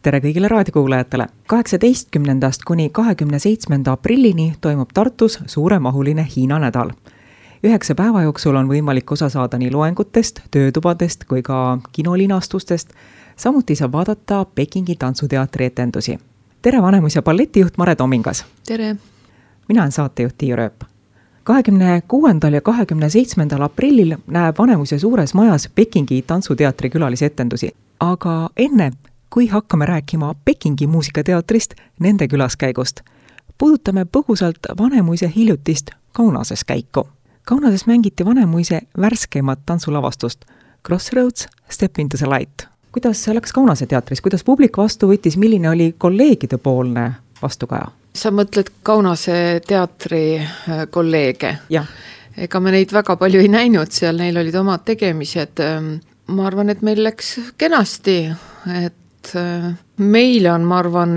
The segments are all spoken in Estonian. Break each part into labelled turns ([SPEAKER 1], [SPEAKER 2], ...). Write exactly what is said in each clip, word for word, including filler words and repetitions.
[SPEAKER 1] tere kõigile raadiokuulajatele! kaheksateistkümnendast kuni kahekümne seitsmenda aprillini toimub Tartus suuremahuline Hiina nädal. Üheksa päeva jooksul on võimalik osa saada nii loengutest, töötubadest kui ka kinolinastustest. Samuti saab vaadata Pekingi tantsuteatri etendusi. Tere Vanemus- ja balletijuht Mare Tomingas!
[SPEAKER 2] Tere!
[SPEAKER 1] Mina olen saatejuht Tiiu Rööp. kahekümne kuuendal ja kahekümne seitsmendal aprillil näeb Vanemus- ja Suures Majas Pekingi tantsuteatri külalisetendusi. Aga enne, kui hakkame rääkima Pekingi muusikateatrist, nende külaskäigust, puudutame põgusalt Vanemuise hiljutist Kaunases käiku. Kaunases mängiti Vanemuise värskemat tantsulavastust Crossroads, Step into the Light. Kuidas see läks Kaunase teatris? Kuidas publik vastu võttis? Milline oli kolleegide poolne vastukaja?
[SPEAKER 2] Sa mõtled Kaunase teatri kolleege?
[SPEAKER 1] Jah.
[SPEAKER 2] Ega me neid väga palju ei näinud seal, neil olid omad tegemised. Ma arvan, et meil läks kenasti, et meile on, ma arvan,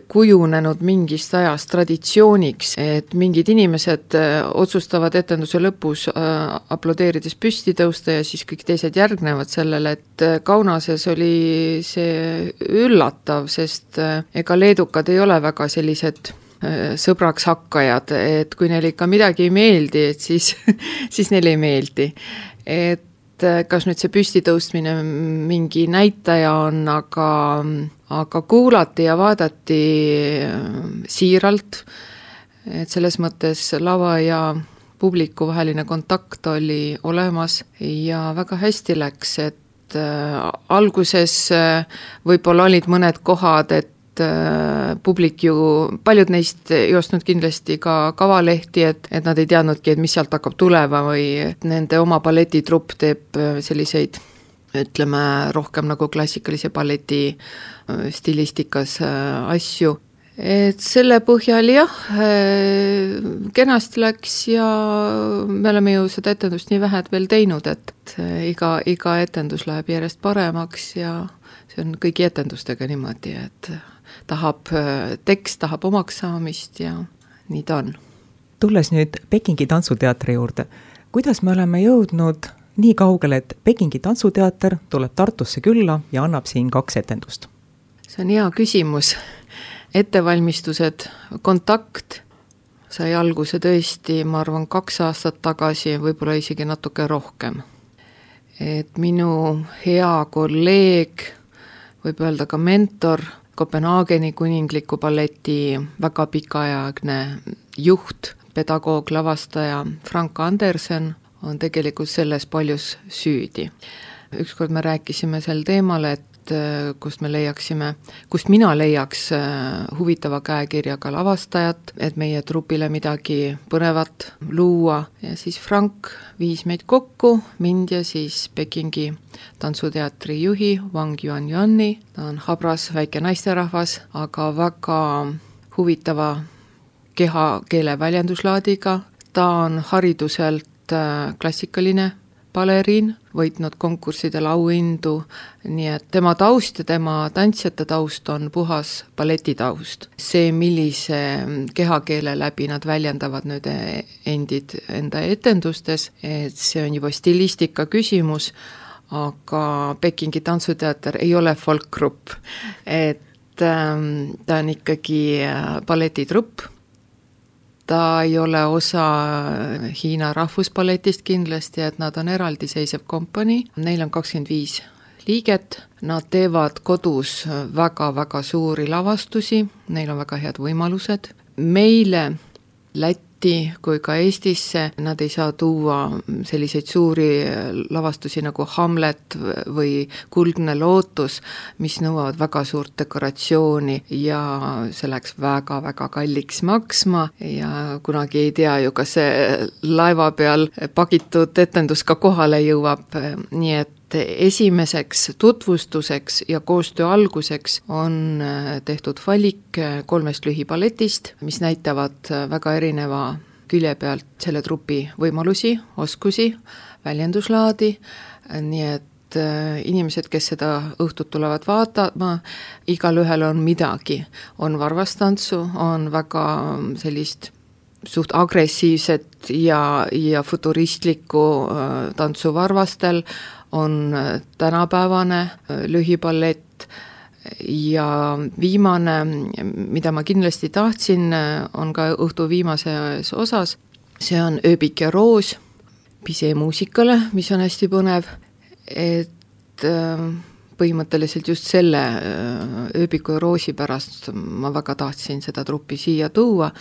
[SPEAKER 2] kujunenud mingist ajast traditsiooniks, et mingid inimesed otsustavad etenduse lõpus aplodeerides püsti tõusta ja siis kõik teised järgnevad sellele, et Kaunases oli see üllatav, sest ega leedukad ei ole väga sellised sõbraks hakkajad, et kui neil ikka midagi ei meeldi, et siis, siis neil ei meeldi. Et kas nüüd see püstitõustmine mingi näitaja on, aga, aga kuulati ja vaadati siiralt, et selles mõttes lava ja publiku vaheline kontakt oli olemas ja väga hästi läks, et alguses võib-olla olid mõned kohad, et publik ju, paljud neist ei ostnud kindlasti ka kavalehti, et, et nad ei teadnudki, et mis sealt hakkab tulema või nende oma balletitrupp teeb selliseid, ütleme, rohkem nagu klassikalise balleti stilistikas asju. Et selle põhjal jah, kenasti läks ja me oleme ju seda etendust nii vähed veel teinud, et iga, iga etendus läheb järjest paremaks ja see on kõigi etendustega niimoodi, et tahab, tekst tahab omaks saamist ja nii ta on.
[SPEAKER 1] Tulles nüüd Pekingi tantsuteatri juurde, kuidas me oleme jõudnud nii kaugele, et Pekingi tantsuteater tuleb Tartusse külla ja annab siin kaks etendust?
[SPEAKER 2] See on hea küsimus. Ettevalmistused, kontakt sai alguse tõesti, ma arvan, kaks aastat tagasi, võib-olla isegi natuke rohkem. Et minu hea kolleeg, võib öelda ka mentor, Kopenhaageni kuningliku balleti väga pikaajagne juht, pedagoog, lavastaja Frank Andersen on tegelikult selles paljus süüdi. Ükskord me rääkisime sel teemal, et kust me leiaksime, kust mina leiaks huvitava käekirjaga lavastajat, et meie trupile midagi põnevat luua. Ja siis Frank viis meid kokku, mind ja siis Pekingi tantsuteatri juhi Wang Yuanyuani. Ta on habras väike naisterahvas, aga väga huvitava kehakeele väljenduslaadiga. Ta on hariduselt klassikaline baleriin, võitnud konkurssidel auhindu, nii et tema taust ja tema tantsijate taust on puhas balletitaust. See, millise kehakeele läbi nad väljendavad nüüd endid enda etendustes, et see on juba stilistika küsimus, aga Pekingi tantsuteater ei ole folkgrupp, et ta on ikkagi balletitrupp. Ta ei ole osa Hiina rahvusballetist kindlasti, et nad on eraldiseisev kompanii. Neil on kakskümmend viis liiget. Nad teevad kodus väga-väga suuri lavastusi. Neil on väga head võimalused. Meile Lätti kui ka Eestisse nad ei saa tuua selliseid suuri lavastusi nagu Hamlet või Kuldne lootus, mis nõuavad väga suurt dekoratsiooni ja see läks väga-väga kalliks maksma ja kunagi ei tea ju, kas see laeva peal pakitud etendus ka kohale jõuab, nii et esimeseks tutvustuseks ja koostöö alguseks on tehtud valik kolmest lühiballetist, mis näitavad väga erineva külje pealt selle trupi võimalusi, oskusi, väljenduslaadi, nii et inimesed, kes seda õhtut tulevad vaatama, igal ühel on midagi. On varvastantsu, on väga sellist suht agressiivset ja, ja futuristlikku tantsu varvastel, on tänapäevane lühiballett, ja viimane, mida ma kindlasti tahtsin, on ka õhtu viimases osas, see on Ööbik ja roos Bizet-muusikale, mis on hästi põnev, et põhimõtteliselt just selle Ööbiku ja roosi pärast ma väga tahtsin seda truppi siia tuua,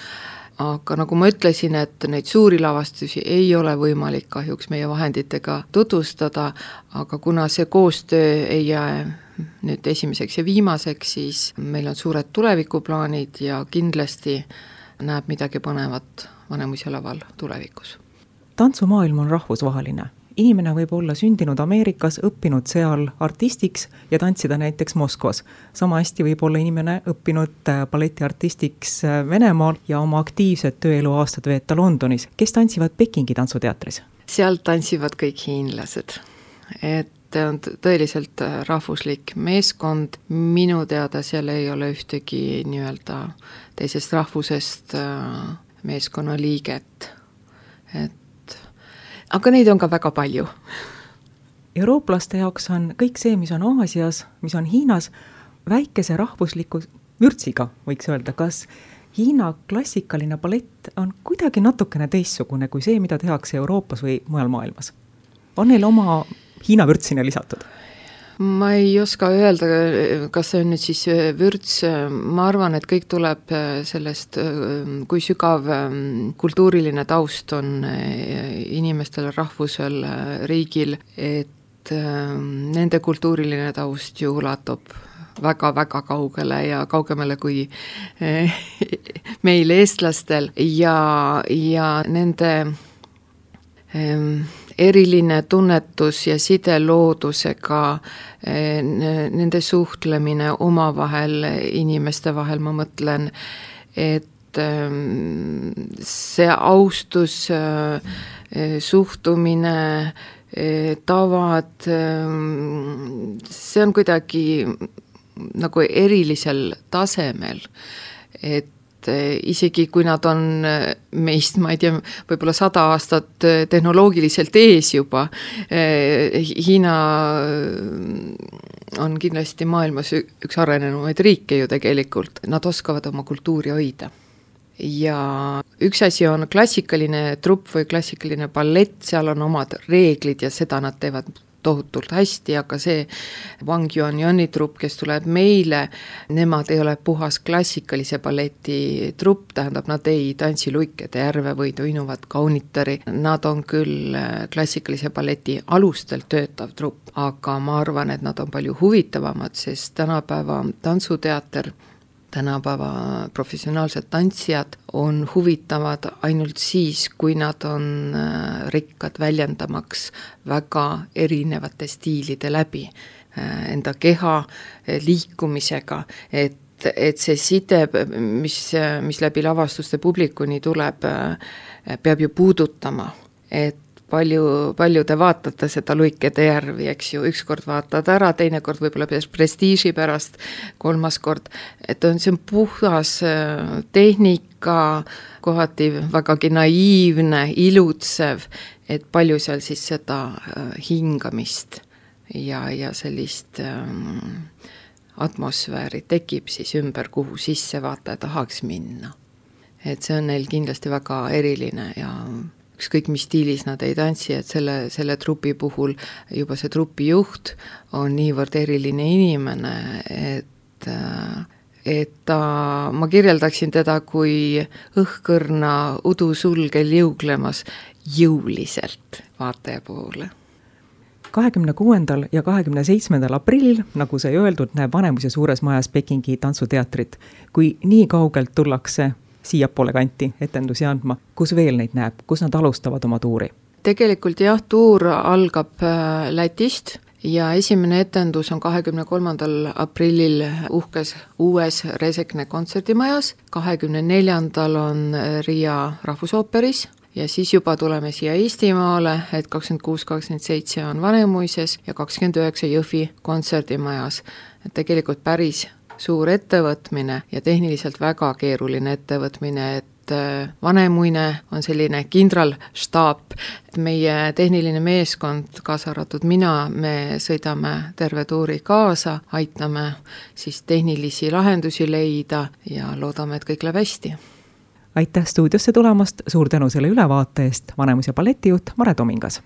[SPEAKER 2] aga nagu ma ütlesin, et neid suuri lavastusi ei ole võimalik kahjuks meie vahenditega tutvustada, aga kuna see koostöö ei jää nüüd esimeseks ja viimaseks, siis meil on suured tulevikuplaanid ja kindlasti näeb midagi põnevat Vanemuise laval tulevikus.
[SPEAKER 1] Tantsumaailm on rahvusvaheline. Inimene võib olla sündinud Ameerikas, õppinud seal artistiks ja tantsida näiteks Moskvas. Sama hästi võib olla inimene õppinud balletiartistiks Venemaal ja oma aktiivset tööelu aastat veeta Londonis. Kes tantsivad Pekingi tantsuteatris?
[SPEAKER 2] Seal tantsivad kõik hiinlased. Et on tõeliselt rahvuslik meeskond. Minu teada seal ei ole ühtegi nii-öelda teisest rahvusest meeskonna liiget. Et aga neid on ka väga palju.
[SPEAKER 1] Eurooplaste jaoks on kõik see, mis on Aasias, mis on Hiinas, väikese rahvusliku vürtsiga, võiks öelda. Kas Hiina klassikaline ballett on kuidagi natukene teistsugune kui see, mida tehakse Euroopas või mujal maailmas? On neil oma Hiina vürtsine lisatud?
[SPEAKER 2] Ma ei oska öelda, kas see on nüüd siis vürts. Ma arvan, et kõik tuleb sellest, kui sügav kultuuriline taust on inimestel, rahvusel, riigil, et nende kultuuriline taust ju ulatub väga-väga kaugele ja kaugemale kui meil eestlastel ja, ja nende eriline tunnetus ja side loodusega, nende suhtlemine omavahel, inimeste vahel, ma mõtlen, et see austus, suhtumine, tavad, see on kuidagi nagu erilisel tasemel, et isegi kui nad on meist, ma ei tea, võib-olla sada aastat tehnoloogiliselt ees juba, Hiina on kindlasti maailmas üks arenenumaid riike ju tegelikult, nad oskavad oma kultuuri hoida. Ja üks asi on klassikaline trupp või klassikaline ballett, seal on omad reeglid ja seda nad teevad tohutult hästi, aga see Wang Yuanyani trupp, kes tuleb meile, nemad ei ole puhas klassikalise balleti trupp, tähendab, nad ei tantsi luikede järve või toinuvat kaunitari, nad on küll klassikalise balleti alustel töötav trupp, aga ma arvan, et nad on palju huvitavamad, sest tänapäeva tantsuteater, tänapäeva professionaalsed tantsijad on huvitavad ainult siis, kui nad on rikkad väljendamaks väga erinevate stiilide läbi enda keha liikumisega, et et see side, mis, mis läbi lavastuste publikuni tuleb, peab ju puudutama, et palju, palju te vaatate seda luikede järvi, eks ju, ükskord vaatad ära, teine kord võib-olla prestiiži pärast, kolmas kord, et on, see on puhas tehnika, kohati vägagi naiivne, ilutsev, et palju seal siis seda hingamist ja, ja sellist ähm, atmosfääri tekib siis ümber, kuhu sisse vaataja tahaks minna. Et see on neil kindlasti väga eriline ja ükskõik mis stiilis nad ei tantsi, et selle, selle trupi puhul juba see trupi juht on niivõrd eriline inimene, et, et ta, ma kirjeldaksin teda kui õhkõrna udusulgel jõuglemas jõuliselt vaataja poole.
[SPEAKER 1] kahekümne kuuendal ja kahekümne seitsmendal aprillil, nagu sai öeldud, näeb Vanemuise suures majas Pekingi tantsuteatrit. Kui nii kaugelt tullakse siiapoole kanti etendusi andma, kus veel neid näeb, kus nad alustavad oma tuuri?
[SPEAKER 2] Tegelikult jah, tuur algab Lätist ja esimene etendus on kahekümne kolmandal aprillil uhkes uues Resekne kontserdimajas, kahekümne neljandal on Riia rahvusooperis ja siis juba tuleme siia Eestimaale, et kakskümmend kuus kakskümmend seitse on Vanemuises ja kakskümmend üheksa Jõhvi kontserdimajas. Et tegelikult päris suur ettevõtmine ja tehniliselt väga keeruline ettevõtmine, et et Vanemuine on selline kindralstaap, meie tehniline meeskond, kaasa arvatud mina, me sõidame terve tuuri kaasa, aitame siis tehnilisi lahendusi leida ja loodame, et kõik läheb hästi.
[SPEAKER 1] Aitäh stuudiosse tulemast, suur tänu selle ülevaate eest, Vanemuise balletijuht Mare Tomingas!